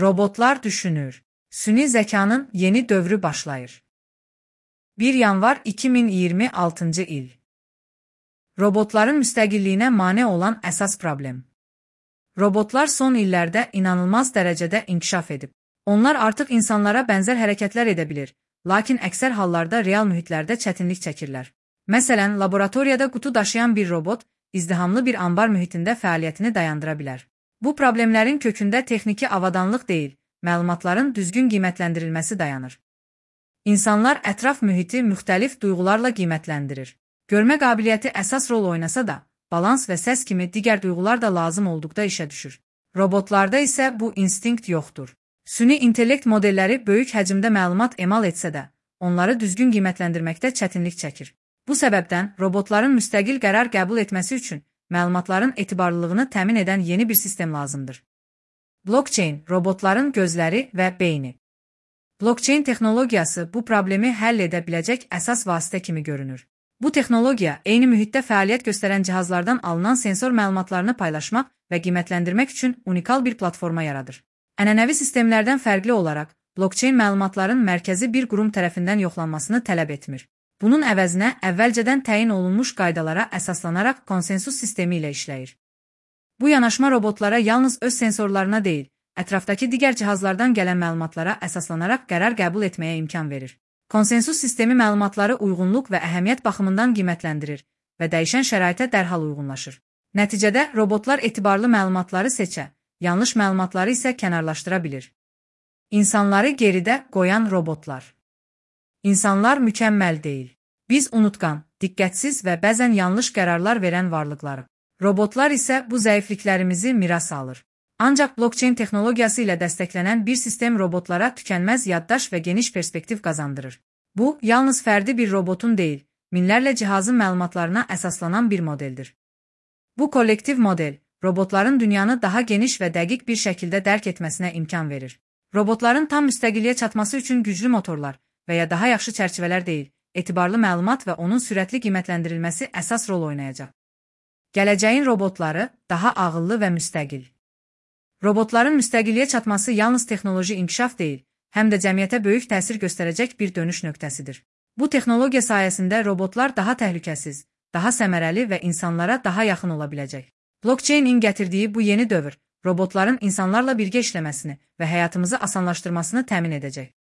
Robotlar düşünür. Süni zekanın yeni dövrü başlayır. 1 yanvar 2026 il. Robotların müstəqilliyinə mane olan əsas problem. Robotlar son illərdə inanılmaz dərəcədə inkişaf edib. Onlar artıq insanlara bənzər hərəkətlər edə bilir, lakin əksər hallarda real mühitlərdə çətinlik çəkirlər. Məsələn, laboratoriyada qutu daşıyan bir robot izdihamlı bir ambar mühitində fəaliyyətini dayandıra bilər. Bu problemlərin kökündə texniki avadanlıq deyil, məlumatların düzgün qiymətləndirilməsi dayanır. İnsanlar ətraf mühiti müxtəlif duyğularla qiymətləndirir. Görmə qabiliyyəti əsas rol oynasa da, balans və səs kimi digər duyğular da lazım olduqda işə düşür. Robotlarda isə bu instinkt yoxdur. Süni intellekt modelləri böyük həcmdə məlumat emal etsə də, onları düzgün qiymətləndirməkdə çətinlik çəkir. Bu səbəbdən robotların müstəqil qərar qəbul etməsi üçün məlumatların etibarlılığını təmin edən yeni bir sistem lazımdır. Blockchain, robotların gözləri və beyni. Blockchain texnologiyası bu problemi həll edə biləcək əsas vasitə kimi görünür. Bu texnologiya eyni mühitdə fəaliyyət göstərən cihazlardan alınan sensor məlumatlarını paylaşmaq və qiymətləndirmək üçün unikal bir platforma yaradır. Ənənəvi sistemlərdən fərqli olaraq, blockchain məlumatların mərkəzi bir qurum tərəfindən yoxlanmasını tələb etmir. Bunun əvəzinə əvvəlcədən təyin olunmuş qaydalara əsaslanaraq konsensus sistemi ilə işləyir. Bu yanaşma robotlara yalnız öz sensorlarına deyil, ətrafdakı digər cihazlardan gələn məlumatlara əsaslanaraq qərar qəbul etməyə imkan verir. Konsensus sistemi məlumatları uyğunluq və əhəmiyyət baxımından qiymətləndirir və dəyişən şəraitə dərhal uyğunlaşır. Nəticədə robotlar etibarlı məlumatları seçə, yanlış məlumatları isə kənarlaşdıra bilir. İnsanları geridə qoyan robotlar. İnsanlar mükəmməl deyil. Biz unutqan, diqqətsiz və bəzən yanlış qərarlar verən varlıqlarıq. Robotlar isə bu zəifliklərimizi miras alır. Ancaq blockchain texnologiyası ilə dəstəklənən bir sistem robotlara tükənməz yaddaş və geniş perspektiv qazandırır. Bu, yalnız fərdi bir robotun deyil, minlərlə cihazın məlumatlarına əsaslanan bir modeldir. Bu kollektiv model, robotların dünyanı daha geniş və dəqiq bir şəkildə dərk etməsinə imkan verir. Robotların tam müstəqilliyə çatması üçün güclü motorlar və ya daha yaxşı çərçivələr deyil, etibarlı məlumat və onun sürətli qiymətləndirilməsi əsas rol oynayacaq. Gələcəyin robotları daha ağıllı və müstəqil. Robotların müstəqilliyə çatması yalnız texnoloji inkişaf deyil, həm də cəmiyyətə böyük təsir göstərəcək bir dönüş nöqtəsidir. Bu texnologiya sayəsində robotlar daha təhlükəsiz, daha səmərəli və insanlara daha yaxın ola biləcək. Blockchain-in gətirdiyi bu yeni dövr, robotların insanlarla birgə işləməsini və həyatımızı asanlaşdırmasını təmin edəcək.